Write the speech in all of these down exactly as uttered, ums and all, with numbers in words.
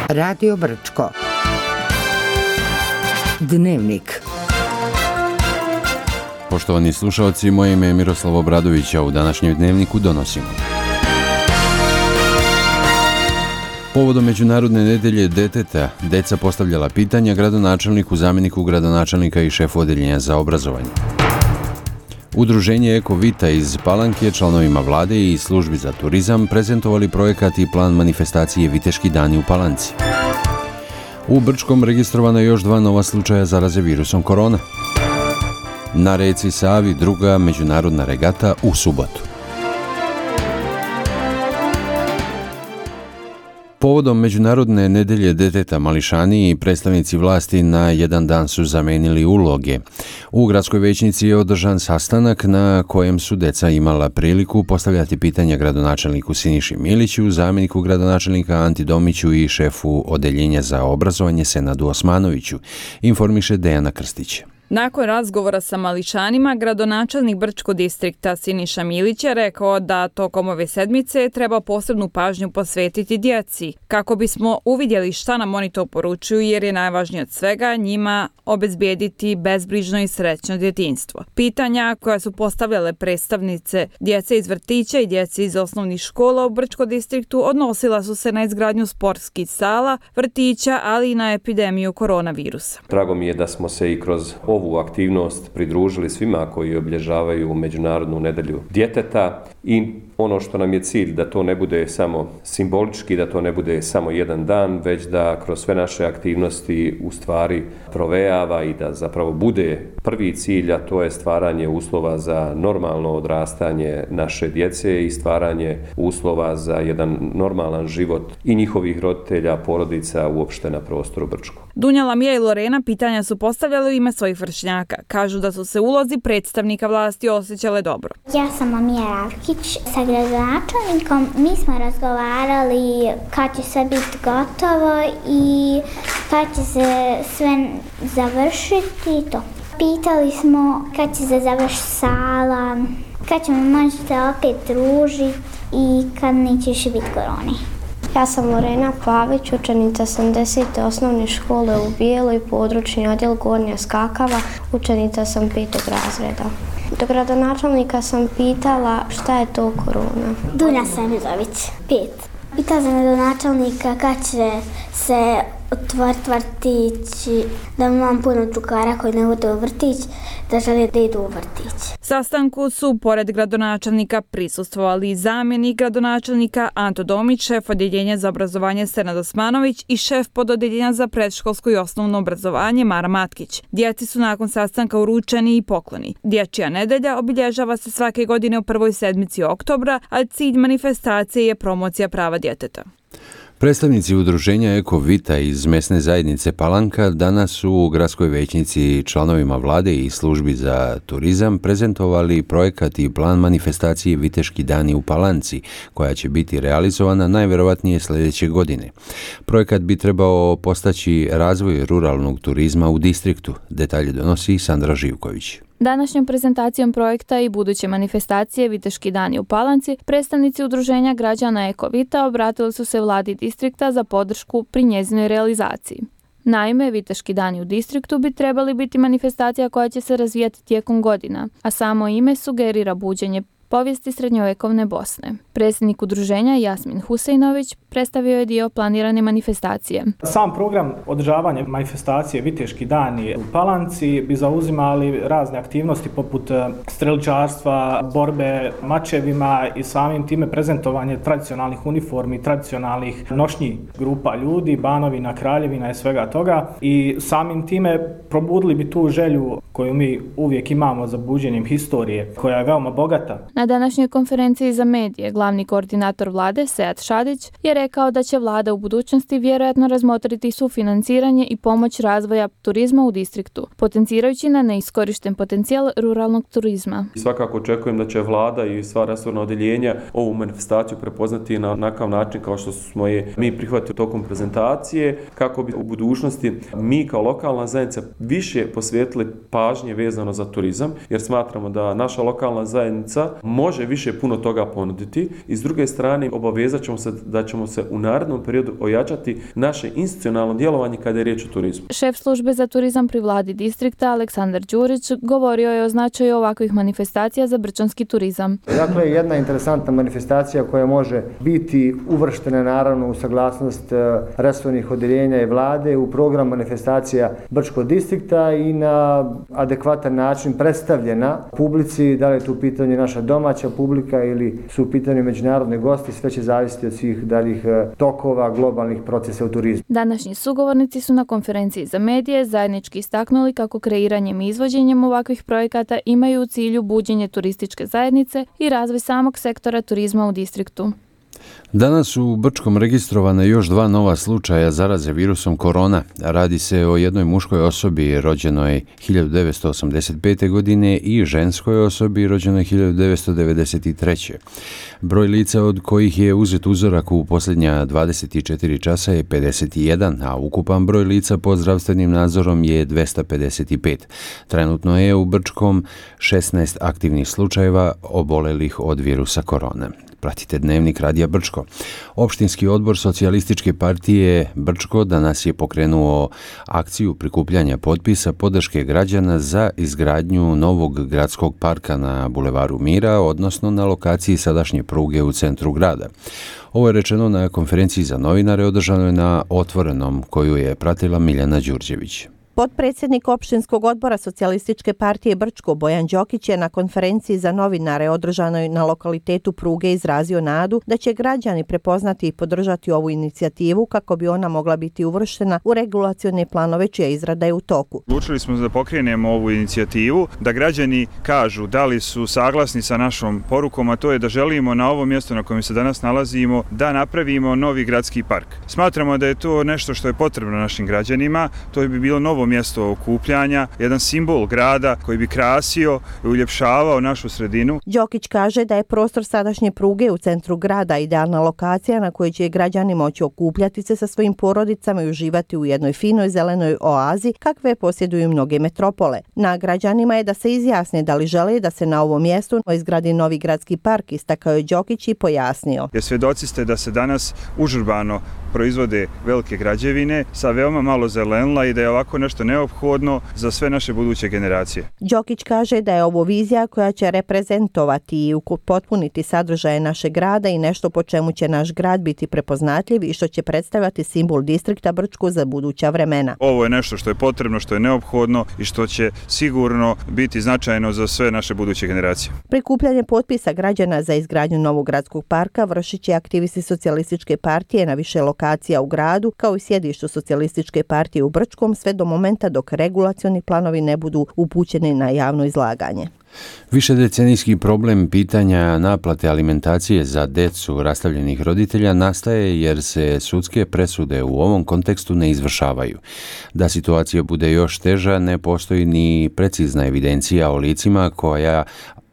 Radio Brčko. Dnevnik. Poštovani slušalci, moje ime je Miroslav Obradović, a u današnjem dnevniku donosimo. Povodom Međunarodne nedelje djeteta, deca postavljala pitanja gradonačelniku, zamjeniku gradonačelnika i šefu odeljenja za obrazovanje. Udruženje Eko Vita iz Palanke članovima vlade i službi za turizam prezentovali projekat i plan manifestacije Viteški dani u Palanci. U Brčkom registrovano je još dva nova slučaja zaraze virusom korona. Na reci Savi druga međunarodna regata u subotu. Povodom Međunarodne nedelje djeteta mališani i predstavnici vlasti na jedan dan su zamenili uloge. U gradskoj većnici je održan sastanak na kojem su deca imala priliku postavljati pitanja gradonačelniku Siniši Miliću, zamjeniku gradonačelnika Anti Domiću i šefu odeljenja za obrazovanje Senadu Osmanoviću, informiše Dejana Krstić. Nakon razgovora sa mališanima, gradonačelnik Brčko distrikta Siniša Milić je rekao da tokom ove sedmice treba posebnu pažnju posvetiti djeci, kako bismo uvidjeli šta nam oni to poručuju, jer je najvažnije od svega njima obezbijediti bezbrižno i srećno djetinjstvo. Pitanja koja su postavljale predstavnice djece iz vrtića i djece iz osnovnih škola u Brčko distriktu odnosila su se na izgradnju sportskih sala, vrtića, ali i na epidemiju koronavirusa. Drago mi je da smo se i kroz ovu aktivnost pridružili svima koji obilježavaju Međunarodnu nedelju djeteta i ono što nam je cilj da to ne bude samo simbolički, da to ne bude samo jedan dan, već da kroz sve naše aktivnosti u stvari provejava i da zapravo bude prvi cilj, a to je stvaranje uslova za normalno odrastanje naše djece i stvaranje uslova za jedan normalan život i njihovih roditelja, porodica uopšte na prostoru Brčko. Dunja Lamija i Lorena pitanja su postavljali u ime svojih vršnjaka. Kažu da su se ulozi predstavnika vlasti osjećale dobro. Ja sam Amija Ravkić sa gradonačelnikom. Mi smo razgovarali kad će sve biti gotovo i kad će se sve završiti to. Pitali smo kad će se završiti sala, kad ćemo moći se opet družiti i kad neće više biti korone. Ja sam Lorena Pavić, učenica sam desete osnovne škole u Bijeloj, područni odjel Gornja Skakava, učenica sam petog razreda. Do gradonačelnika sam pitala šta je to korona. Dunja Semizović, pet. Pitala sam gradonačelnika kad će se otvoriti vrtić, da imam puno drugara koji ne idu u vrtić, da žele da idu u vrtić. Sastanku su, pored gradonačelnika, prisustvovali i zamjenik gradonačelnika Anto Domić, šef odjeljenja za obrazovanje Senad Osmanović i šef pododeljenja za predškolsko i osnovno obrazovanje Mara Matkić. Djeci su nakon sastanka uručeni i pokloni. Dječja nedelja obilježava se svake godine u prvoj sedmici oktobra, a cilj manifestacije je promocija prava djeteta. Predstavnici udruženja Eko Vita iz mesne zajednice Palanka danas su u gradskoj većnici članovima vlade i službi za turizam prezentovali projekat i plan manifestacije Viteški dani u Palanci, koja će biti realizovana najvjerovatnije sljedeće godine. Projekat bi trebao postaći razvoj ruralnog turizma u distriktu. Detalje donosi Sandra Živković. Današnjom prezentacijom projekta i buduće manifestacije Viteški dani u Palanci, predstavnici udruženja građana Eko Vita obratili su se vladi distrikta za podršku pri njezinoj realizaciji. Naime, Viteški dani u distriktu bi trebali biti manifestacija koja će se razvijati tijekom godina, a samo ime sugerira buđenje povijesti srednjovjekovne Bosne. Predsjednik udruženja Jasmin Huseinović predstavio je dio planirane manifestacije. Sam program održavanja manifestacije Viteški dani u Palanci bi zauzimali razne aktivnosti poput streličarstva, borbe mačevima i samim time prezentovanje tradicionalnih uniformi, tradicionalnih nošnji grupa ljudi, Banovina, Kraljevina i svega toga. I samim time probudili bi tu želju koju mi uvijek imamo za buđenjem historije, koja je veoma bogata. Na današnjoj konferenciji za medije glavni koordinator vlade Sead Šadić je rekao da će vlada u budućnosti vjerojatno razmotriti sufinanciranje i pomoć razvoja turizma u distriktu, potencirajući na neiskorišten potencijal ruralnog turizma. Svakako očekujem da će vlada i sva resorna odjeljenja ovu manifestaciju prepoznati na onakav način kao što smo je mi prihvatili tokom prezentacije, kako bi u budućnosti mi kao lokalna zajednica više posvetili pažnje vezano za turizam, jer smatramo da naša lokalna zajednica može više puno toga ponuditi i s druge strane obavezat ćemo se da ćemo se u narednom periodu ojačati naše institucionalno djelovanje kada je riječ o turizmu. Šef službe za turizam pri vladi distrikta Aleksandar Đurić govorio je o značaju ovakvih manifestacija za brčanski turizam. Dakle, jedna interesantna manifestacija koja može biti uvrštena naravno u saglasnost resornih odjeljenja i vlade u program manifestacija Brčkog distrikta i na adekvatan način predstavljena publici, da li je tu u pitanju naša domaća publika ili su u pitanju međunarodni gosti, sve će zavisiti od svih daljih tokova globalnih procesa u turizmu. Današnji sugovornici su na konferenciji za medije zajednički istaknuli kako kreiranjem i izvođenjem ovakvih projekata imaju u cilju buđenje turističke zajednice i razvoj samog sektora turizma u distriktu. Danas su u Brčkom registrovane još dva nova slučaja zaraze virusom korona. Radi se o jednoj muškoj osobi rođenoj hiljadu devetsto osamdeset pete. godine i ženskoj osobi rođenoj hiljadu devetsto devedeset treće. Broj lica od kojih je uzet uzorak u posljednja dvadeset četiri časa je pedeset jedan, a ukupan broj lica pod zdravstvenim nadzorom je dvesta pedeset pet. Trenutno je u Brčkom šesnaest aktivnih slučajeva obolelih od virusa korona. Pratite Dnevnik Radija Brčko. Opštinski odbor Socijalističke partije Brčko danas je pokrenuo akciju prikupljanja potpisa podrške građana za izgradnju novog gradskog parka na Bulevaru Mira, odnosno na lokaciji sadašnje pruge u centru grada. Ovo je rečeno na konferenciji za novinare održanoj na Otvorenom, koju je pratila Miljana Đurđević. Potpredsjednik opštinskog odbora Socijalističke partije Brčko Bojan Đokić je na konferenciji za novinare održanoj na lokalitetu Pruge izrazio nadu da će građani prepoznati i podržati ovu inicijativu kako bi ona mogla biti uvrštena u regulacione planove čija izrada je u toku. Odlučili smo da pokrenemo ovu inicijativu, da građani kažu da li su saglasni sa našom porukom, a to je da želimo na ovom mjestu na kojem se danas nalazimo da napravimo novi gradski park. Smatramo da je to nešto što je potrebno našim građanima, to bi bilo novo mjesto okupljanja, jedan simbol grada koji bi krasio i uljepšavao našu sredinu. Đokić kaže da je prostor sadašnje pruge u centru grada idealna lokacija na kojoj će građani moći okupljati se sa svojim porodicama i uživati u jednoj finoj zelenoj oazi kakve posjeduju mnoge metropole. Na građanima je da se izjasne da li žele da se na ovom mjestu izgradi novi gradski park, istakao je Đokić i pojasnio. Jer svjedoci ste da se danas užurbano proizvode velike građevine sa veoma malo zelenila i da je ovako nešto neophodno za sve naše buduće generacije. Đokić kaže da je ovo vizija koja će reprezentovati i potpuniti sadržaje našeg grada i nešto po čemu će naš grad biti prepoznatljiv i što će predstavljati simbol distrikta Brčko za buduća vremena. Ovo je nešto što je potrebno, što je neophodno i što će sigurno biti značajno za sve naše buduće generacije. Prikupljanje potpisa građana za izgradnju novog gradskog parka vršit će aktivisti Socijalističke partije na više lokacija u gradu, kao i sjedištu Socijalističke partije u Brčkom, sve do momenta dok regulacioni planovi ne budu upućeni na javno izlaganje. Višedecenijski problem pitanja naplate alimentacije za decu rastavljenih roditelja nastaje jer se sudske presude u ovom kontekstu ne izvršavaju. Da situacija bude još teža, ne postoji ni precizna evidencija o licima koja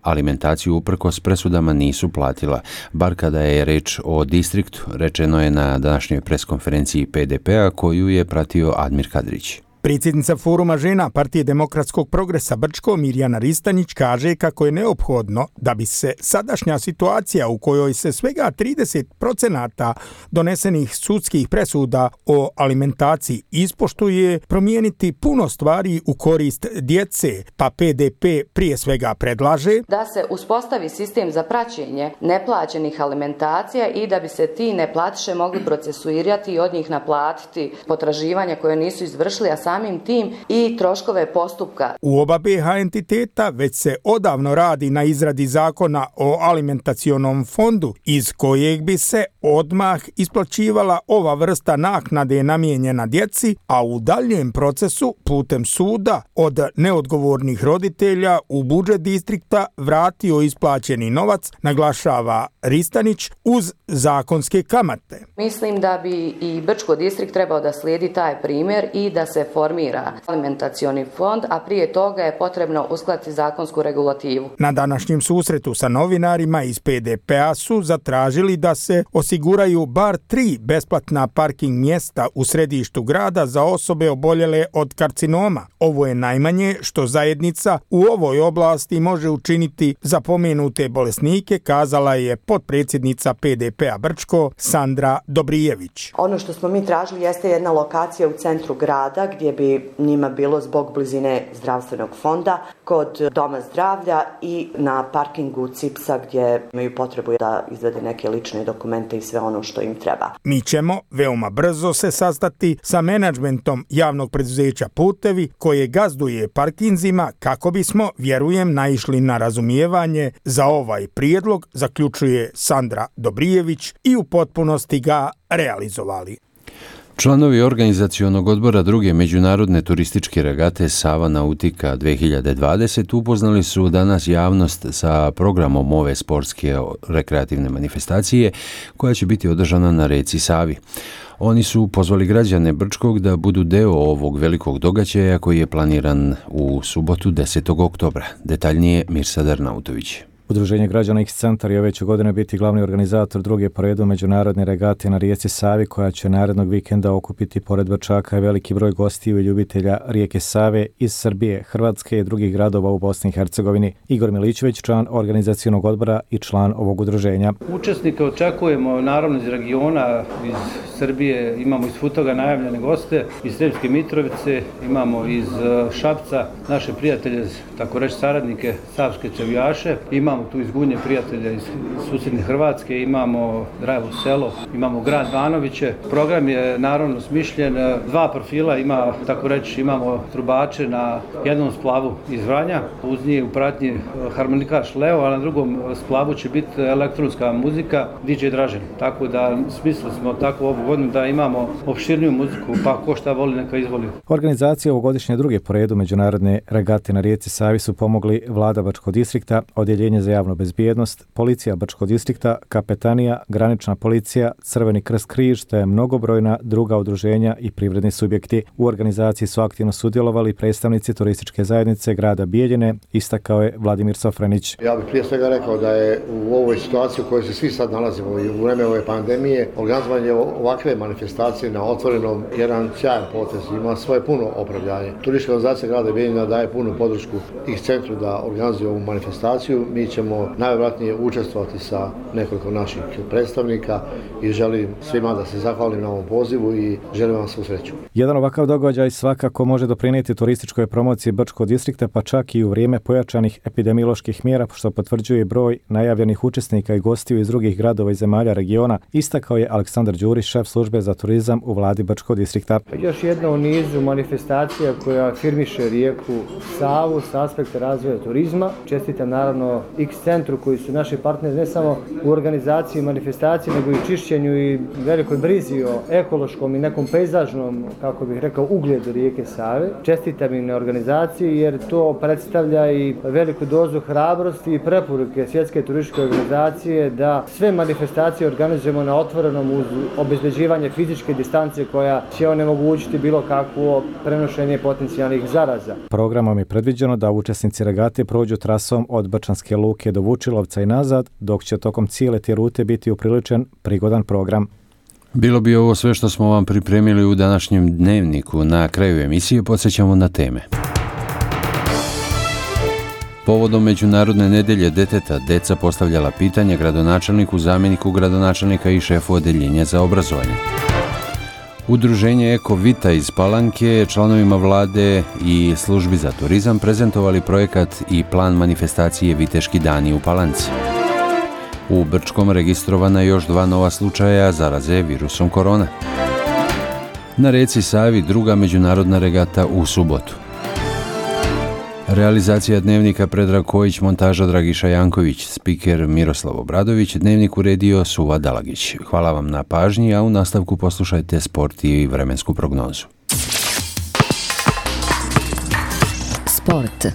alimentaciju uprkos presudama nisu platila. Bar kada je reč o distriktu, rečeno je na današnjoj preskonferenciji P D P-a koju je pratio Admir Kadrić. Predsjednica Foruma žena Partije demokratskog progresa Brčko Mirjana Ristanić kaže kako je neophodno da bi se sadašnja situacija u kojoj se svega trideset procenata donesenih sudskih presuda o alimentaciji ispoštuje, promijeniti puno stvari u korist djece, pa P D P prije svega predlaže da se uspostavi sistem za praćenje neplaćenih alimentacija i da bi se ti neplatiše mogli procesuirati i od njih naplatiti potraživanja koje nisu izvršili, a samim tim i troškove postupka. U oba B H entiteta već se odavno radi na izradi zakona o alimentacionom fondu iz kojeg bi se odmah isplaćivala ova vrsta naknade namijenjena djeci, a u daljem procesu putem suda od neodgovornih roditelja u budžet distrikta vratio isplaćeni novac, naglašava Ristanić, uz zakonske kamate. Mislim da bi i Brčko distrikt trebao da slijedi taj primjer i da se formira formira alimentacioni fond, a prije toga je potrebno uskladiti zakonsku regulativu. Na današnjem susretu sa novinarima iz P D P-a su zatražili da se osiguraju bar tri besplatna parking mjesta u središtu grada za osobe oboljele od karcinoma. Ovo je najmanje što zajednica u ovoj oblasti može učiniti za pomenute bolesnike, kazala je potpredsjednica P D P-a Brčko Sandra Dobrijević. Ono što smo mi tražili jeste jedna lokacija u centru grada gdje bi njima bilo zbog blizine zdravstvenog fonda, kod doma zdravlja i na parkingu Cipsa gdje imaju potrebu da izvede neke lične dokumente i sve ono što im treba. Mi ćemo veoma brzo se sastati sa menadžmentom javnog preduzeća Putevi koje gazduje parkinzima kako bismo, vjerujem, naišli na razumijevanje za ovaj prijedlog, zaključuje Sandra Dobrijević, i u potpunosti ga realizovali. Članovi organizacionog odbora druge međunarodne turističke regate Sava Nautika dvije hiljade dvadeset upoznali su danas javnost sa programom ove sportske rekreativne manifestacije koja će biti održana na reci Savi. Oni su pozvali građane Brčkog da budu deo ovog velikog događaja koji je planiran u subotu desetog oktobra. Detaljnije Mirsad Arnautović. Udruženje građana X-Centar je ove će godine biti glavni organizator druge po redu međunarodne regate na rijeci Savi koja će narednog vikenda okupiti pored Brčaka veliki broj gostiju i ljubitelja rijeke Save iz Srbije, Hrvatske i drugih gradova u Bosni i Hercegovini. Igor Milićević, član organizacionog odbora i član ovog udruženja. Učesnike očekujemo naravno iz regiona, iz Srbije, imamo iz Futoga najavljene goste, iz Sremske Mitrovice, imamo iz Šapca naše prijatelje, tako reći saradnike, savske čavijaše, imamo tu iz Gunje prijatelja iz susjedne Hrvatske, imamo Drajevo selo, imamo grad Banoviće. Program je naravno smišljen, dva profila ima, tako reći, imamo trubače na jednom splavu iz Vranja, uz njih u pratnji harmonikaš Leo, a na drugom splavu će biti elektronska muzika D J Dražen. Tako da smislili smo tako ovu godinu da imamo opširniju muziku, pa ko šta voli neka izvoli. Organizacija ovogodišnje druge po redu međunarodne regate na rijeci Savi su pomogli Vlada Brčkog distrikta, Odjeljenje za javnu bezbjednost, Policija Brčkog distrikta, Kapetanija, Granična policija, Crveni krst križ te mnogobrojna druga udruženja i privredni subjekti. U organizaciji su aktivno sudjelovali predstavnici turističke zajednice grada Bijeljine, istakao je Vladimir Sofranić. Ja bih prije svega rekao da je u ovoj situaciji u kojoj se svi sad nalazimo i u vreme ove pandemije, organizovanje ovakve manifestacije na otvorenom jedan sjajan potez, ima svoje puno opravdanje. Turistička organizacija grada Bijeljina daje punu podršku X-Centru da organizuje ovu manifestaciju. Mi ćemo najvjerojatnije učestvovati sa nekoliko naših predstavnika i želim svima da se zahvalim na ovom pozivu i želim vam svu sreću. Jedan ovakav događaj svakako može doprinijeti turističkoj promociji Brčkog distrikta, pa čak i u vrijeme pojačanih epidemioloških mjera, što potvrđuje broj najavljenih učesnika i gostiju iz drugih gradova i zemalja regiona, istakao je Aleksandar Đurić, šef službe za turizam u vladi Brčkog distrikta. Još jedna u nizu manifestacija koja afirmiše rijeku Savu s aspekta razvoja turizma. Čestitam naravno X-Centru koji su naši partneri ne samo u organizaciji manifestacije, nego i čišćenju i velikoj brizi o ekološkom i nekom pejzažnom, kako bih rekao, ugledu rijeke Save. Čestitam im na organizaciji jer to predstavlja i veliku dozu hrabrosti i preporuke Svjetske turističke organizacije da sve manifestacije organizujemo na otvorenom uz obezbeđivanje fizičke distance koja će onemogućiti bilo kakvo prenošenje potencijalnih zaraza. Programom je predviđeno da učesnici regate prođu trasom od Brčanske luke do Vučilovca i nazad, dok će tokom cijele te rute biti upriličen prigodan program. Bilo bi ovo sve što smo vam pripremili u današnjem dnevniku. Na kraju emisije podsjećamo na teme. Povodom Međunarodne nedelje djeteta, deca postavljala pitanja gradonačelniku, zamjeniku gradonačelnika i šefu odeljenja za obrazovanje. Udruženje Eko Vita iz Palanke, članovima vlade i službi za turizam prezentovali projekat i plan manifestacije Viteški dani u Palanci. U Brčkom registrovana još dva nova slučaja zaraze virusom korona. Na reci Savi druga međunarodna regata u subotu. Realizacija dnevnika Predrag Kojić, montaža Dragiša Janković, spiker Miroslav Obradović, dnevnik uredio Suva Dalagić. Hvala vam na pažnji, a u nastavku poslušajte sport i vremensku prognozu. Sport.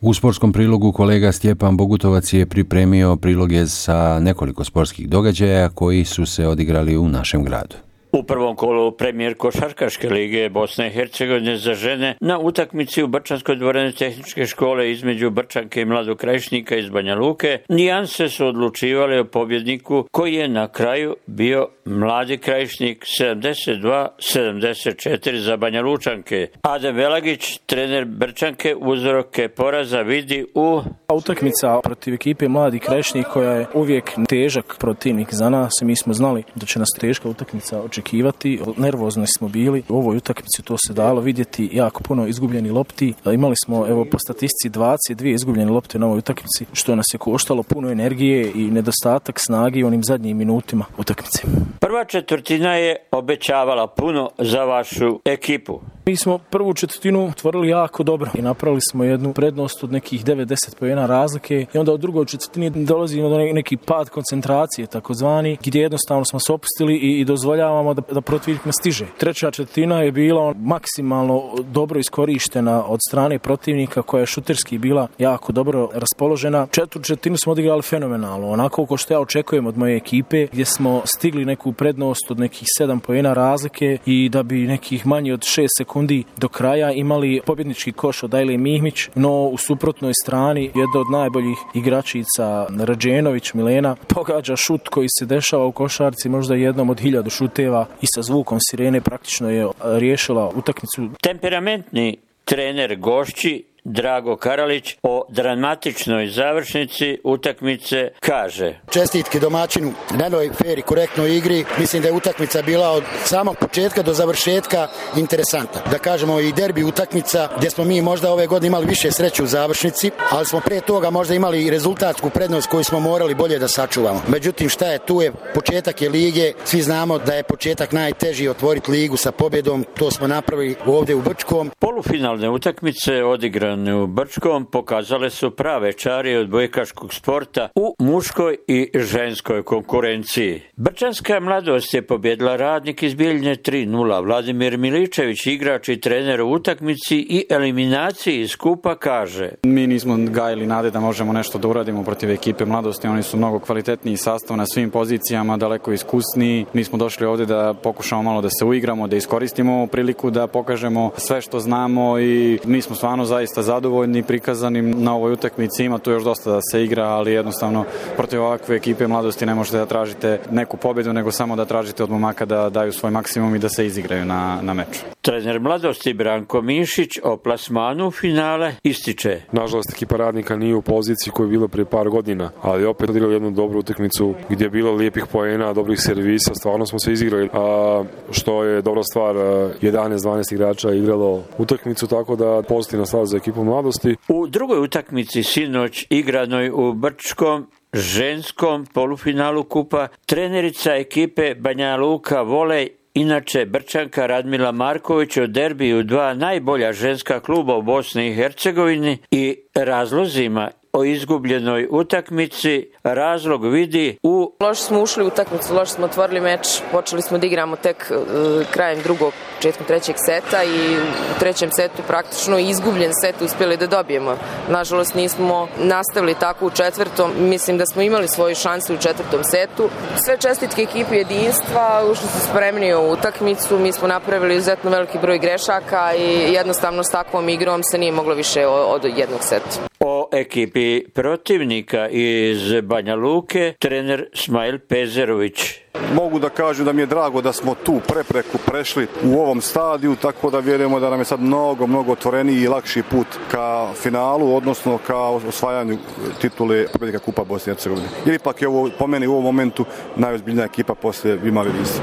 U sportskom prilogu kolega Stjepan Bogutovac je pripremio priloge sa nekoliko sportskih događaja koji su se odigrali u našem gradu. U prvom kolu premijer košarkaške lige Bosne i Hercegovine za žene na utakmici u Brčanskoj dvorani tehničke škole između Brčanke i Mladog Krajišnika iz Banja Luke, nijanse su odlučivali o pobjedniku koji je na kraju bio Mladi Krajišnik sedamdeset dva sedamdeset četiri za Banja Lučanke. Adem Velagić, trener Brčanke, uzroke poraza vidi u... Utakmica protiv ekipe Mladi Krajišnik koja je uvijek težak protivnik za nas. Mi smo znali da će nas teška utakmica očekivati. Nervozni smo bili. U ovoj utakmici to se dalo vidjeti, jako puno izgubljenih lopti. Imali smo evo po statistici dvadeset dvije izgubljene lopte na ovoj utakmici, što nas je koštalo puno energije i nedostatak snage u onim zadnjim minutima utakmice. Prva četvrtina je obećavala puno za vašu ekipu. Mi smo prvu četvrtinu otvorili jako dobro i napravili smo jednu prednost od nekih devet do deset poena razlike i onda u drugoj četvrtini dolazimo do neki pad koncentracije takozvani, gdje jednostavno smo se opustili i, i dozvoljavamo da, da protivnik ne stiže. Treća četvrtina je bila maksimalno dobro iskorištena od strane protivnika koja je šuterski bila jako dobro raspoložena. Četvrtu četvrtinu smo odigrali fenomenalno, onako kao što ja očekujem od moje ekipe, gdje smo stigli neku prednost od nekih sedam poena razlike i da bi nekih manje od šest sekundi do kraja imali pobjednički koš od Ajle Mihmić, no u suprotnoj strani jedna od najboljih igračica Rađenović Milena pogađa šut koji se dešava u košarci možda jednom od hiljadu šuteva i sa zvukom sirene praktično je riješila utakmicu. Temperamentni trener gošći Drago Karalić o dramatičnoj završnici utakmice kaže: Čestitke domaćinu na jednoj fer i korektnoj igri. Mislim da je utakmica bila od samog početka do završetka interesantna. Da kažemo i derbi utakmica gdje smo mi možda ove godine imali više sreće u završnici, ali smo prije toga možda imali i rezultatsku prednost koju smo morali bolje da sačuvamo. Međutim, šta je tu je početak je lige. Svi znamo da je početak najteži otvoriti ligu sa pobjedom. To smo napravili ovdje u Brčkom. Polufinalne utakmice odigrane u Brčkom pokazale su prave čari odbojkaškog sporta u muškoj i ženskoj konkurenciji. Brčanska mladost je pobjedila Radnik iz Bijeljine tri nula. Vladimir Miličević, igrač i trener u utakmici i eliminaciji iz skupa, kaže: Mi nismo gajili nade da možemo nešto da uradimo protiv ekipe mladosti. Oni su mnogo kvalitetniji sastav na svim pozicijama, daleko iskusniji. Mi smo došli ovdje da pokušamo malo da se uigramo, da iskoristimo priliku da pokažemo sve što znamo i mi smo stvarno zaista zadovoljni prikazanim na ovoj utakmici. Ima tu još dosta da se igra, ali jednostavno protiv ovakve ekipe mladosti ne možete da tražite neku pobjedu, nego samo da tražite od momaka da daju svoj maksimum i da se izigraju na, na meču. Trener mladosti Branko Mišić o plasmanu u finale ističe: Nažalost, ekipa Radnika nije u poziciji koju je bila prije par godina, ali opet odigrali jednu dobru utakmicu gdje je bilo lijepih poena, dobrih servisa, stvarno smo se izigrali, a što je dobra stvar, jedanaest dvanaest igrača igralo utakmicu, tako da pozitivna stvar za ekipu mladosti. U drugoj utakmici sinoć igranoj u Brčkom ženskom polufinalu kupa, trenerica ekipe Banja Luka Volej, inače Brčanka Radmila Marković, o derbiju dva najbolja ženska kluba u Bosni i Hercegovini i razlozima o izgubljenoj utakmici razlog vidi u... Loše smo ušli u utakmicu, loše smo otvorili meč, počeli smo da igramo tek uh, krajem drugog, početkom trećeg seta i u trećem setu praktično izgubljen set uspjeli da dobijemo. Nažalost nismo nastavili tako u četvrtom, mislim da smo imali svoju šansu u četvrtom setu. Sve čestitke ekipi jedinstva, ušli su spremni u utakmicu, mi smo napravili izuzetno veliki broj grešaka i jednostavno s takvom igrom se nije moglo više od jednog seta. O ekipi protivnika iz Banja Luke trener Smajl Pezerović: Mogu da kažu da mi je drago da smo tu prepreku prešli u ovom stadiju, tako da vjerujemo da nam je sad mnogo, mnogo otvoreniji i lakši put ka finalu, odnosno ka osvajanju titule pobjednika Kupa Bosne i Hercegovine. Jer ipak je ovo, po meni u ovom momentu najozbiljnija ekipa poslije Vima Vidisa.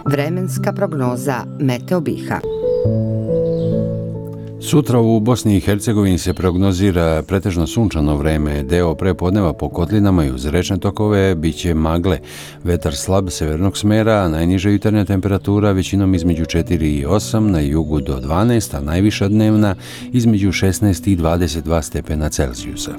Vremenska prognoza Meteo Biha. Sutra u Bosni i Hercegovini se prognozira pretežno sunčano vreme, deo prepodneva po kotlinama i uz rečne tokove biće magle. Vetar slab severnog smera, a najniža jutarnja temperatura većinom između četiri i osam, na jugu do dvanaest, a najviša dnevna između šesnaest i dvadeset dva stepena Celzijusa.